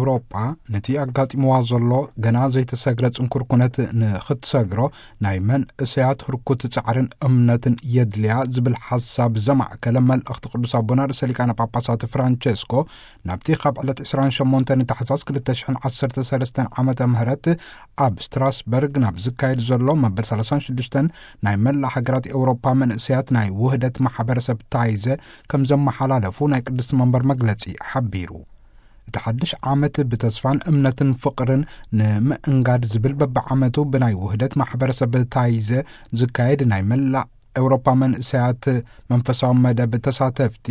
ኤውሮጳ ነቲ ኣጋጢምዋ ዘሎ ገና ዘይተሰግረ ጽንኩር ኩነት ንኽትሰግሮ ናይ መንእሰያት ህርኩት ጻዕርን እምነትን የድልያ ዝብል ሓሳብ ዘማእከለ መልእኽቲ ቅዱስ ኣቦና ርእሰ ሊቃነ ጳጳሳት ፍራንቸስኮ ናብቲ ካብ ዕለት ዕስራን ሸሞንተን ታሕሳስ ክልተ ሽሕን ዓሰርተ ሰለስተን ዓመተ ምህረት ኣብ ስትራስበርግ ናብ ዝካየድ ዘሎ መበል ሰላሳን ሽዱሽተን ናይ መላእ ሃገራት ኤውሮጳ መንእሰያት ናይ ውህደት ማሕበረሰብ ታይዘ ከም ዘመሓላለፉ ናይ ቅድስቲ መንበር መግለጺ ሓቢሩ። እቲ ሓድሽ ዓመት ብተስፋን እምነትን ፍቕርን ንምእንጋድ ዝብል በብዓመቱ ብናይ ውህደት ማሕበረሰብ ታይዘ ዝካየድ ናይ መላእ ኤውሮጳ መንእሰያት መንፈሳዊ መደብ ተሳተፍቲ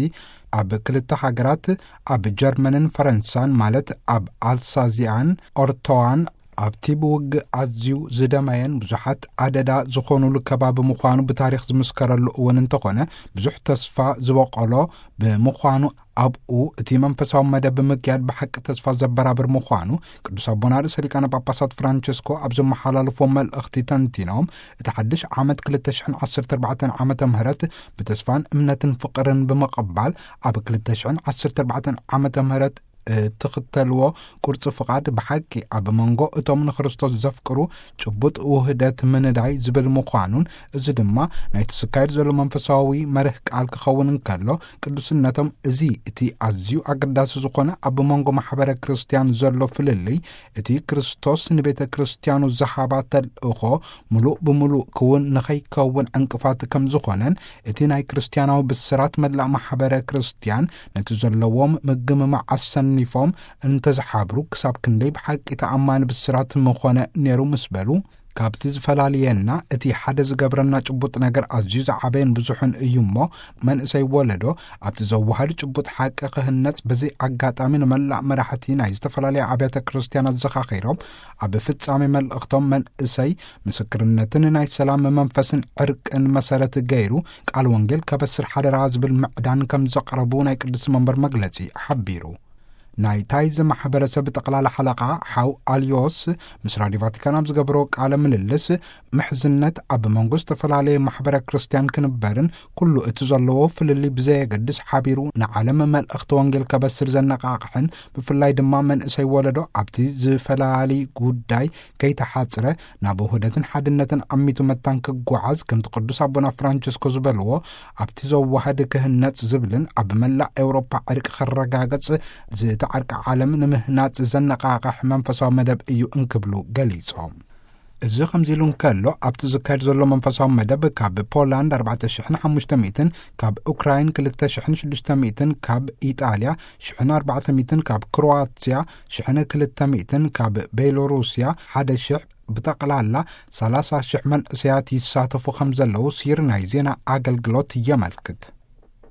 ኣብ ክልተ ሃገራት፣ ኣብ ጀርመንን ፈረንሳን፣ ማለት ኣብ ኣልሳዚያን ኦርቶዋን፣ ኣብቲ ብውግእ ኣዝዩ ዝደመየን ብዙሓት ኣደዳ ዝኾኑሉ ከባቢ ምዃኑ ብታሪኽ ዝምስከረሉ እውን እንተኾነ፣ ብዙሕ ተስፋ ዝበቆሎ ብምዃኑ፣ ኣብኡ እቲ መንፈሳዊ መደብ ብምክያድ ብሓቂ ተስፋ ዘበራብር ምዃኑ ቅዱስ ኣቦና ርእሰ ሊቃነ ጳጳሳት ፍራንቸስኮ ኣብ ዘመሓላለፎ መልእኽቲ ተንቲኖም፣ እቲ ሓድሽ ዓመት ክልተ ሽሕን ዓሰርተ ኣርባዕተን ዓመተ ምህረት ብተስፋን እምነትን ፍቕርን ብምቕባል፣ ኣብ ክልተ ሽሕን ዓሰርተ ኣርባዕተን ዓመተ ምህረት እትኽተልዎ ቁርጺ ፍቓድ ብሓቂ ኣብ መንጎ እቶም ንክርስቶስ ዘፍቅሩ ጭቡጥ ውህደት ምንዳይ ዝብል ምዃኑን፣ እዚ ድማ ናይቲ ዝካየድ ዘሎ መንፈሳዊ መርህ ቃል ክኸውን እንከሎ፣ ቅዱስነቶም እዚ እቲ ኣዝዩ ኣገዳሲ ዝኾነ ኣብ መንጎ ማሕበረ ክርስቲያን ዘሎ ፍልልይ፣ እቲ ክርስቶስ ንቤተ ክርስቲያኑ ዝሃባ ተልእኾ ምሉእ ብምሉእ ክውን ንኸይከውን ዕንቅፋት ከም ዝኾነን፣ እቲ ናይ ክርስቲያናዊ ብስራት መላእ ማሕበረ ክርስቲያን ነቲ ዘለዎም ምግምማዕ ኣሰኒፎም እንተዝሓብሩ ክሳብ ክንደይ ብሓቂ ተኣማኒ ብስራት ምኾነ ነይሩ ምስ በሉ፣ ካብቲ ዝፈላልየና እቲ ሓደ ዝገብረና ጭቡጥ ነገር ኣዝዩ ዝዓበየን ብዙሕን እዩ እሞ፣ መንእሰይ ወለዶ ኣብቲ ዘወሃድ ጭቡጥ ሓቂ ክህነጽ በዚ ኣጋጣሚ ንመላእ መራሕቲ ናይ ዝተፈላለያ ኣብያተ ክርስቲያን ኣዘኻኺሮም፣ ኣብ ፍጻሜ መልእኽቶም መንእሰይ ምስክርነትን ናይ ሰላም መንፈስን ዕርቅን መሰረት ገይሩ ቃል ወንጌል ከበስር ሓደራ ዝብል ምዕዳን ከም ዘቕረቡ ናይ ቅድስቲ መንበር መግለጺ ሓቢሩ። ናይ ታይዘ ማሕበረሰብ ጠቕላላ ሓለቓ ሓው ኣልዮስ ምስ ራድዮ ቫቲካን ኣብ ዝገበሮ ቃለ ምልልስ፣ ምሕዝነት ኣብ መንጎ ዝተፈላለየ ማሕበረ ክርስቲያን ክንበርን ኩሉ እቲ ዘለዎ ፍልልይ ብዘየገድስ ሓቢሩ ንዓለም መልእኽቲ ወንጌል ከበስር ዘነቓቕሕን፣ ብፍላይ ድማ መንእሰይ ወለዶ ኣብቲ ዝፈላሊ ጉዳይ ከይተሓጽረ ናብ ውህደትን ሓድነትን ኣሚቱ መታን ክጓዓዝ፣ ከምቲ ቅዱስ ኣቦና ፍራንቸስኮ ዝበልዎ፣ ኣብቲ ዘዋህድ ክህነጽ ዝብልን ኣብ መላእ ኤውሮፓ ዕርቂ ክረጋገጽ፣ ዝተዓርቀ ዓለም ንምህናጽ ዘነቓቕሕ መንፈሳዊ መደብ እዩ እንክብሉ ገሊጾም። እዚ ከምዚ ኢሉ እንከሎ፣ ኣብቲ ዝካየድ ዘሎ መንፈሳዊ መደብ ካብ ፖላንድ ኣርባዕተ ሽሕን ሓሙሽተ ሚእትን፣ ካብ ኡክራይን ክልተ ሽሕን ሽዱሽተ ሚእትን፣ ካብ ኢጣልያ ሽሕን ኣርባዕተ ሚእትን፣ ካብ ክሮዋትያ ሽሕን ክልተ ሚእትን፣ ካብ ቤሎሩስያ ሓደ ሽሕ፣ ብጠቕላላ ሰላሳ ሽሕ መንእሰያት ይሳተፉ ከም ዘለዉ ሲር ናይ ዜና ኣገልግሎት የመልክት።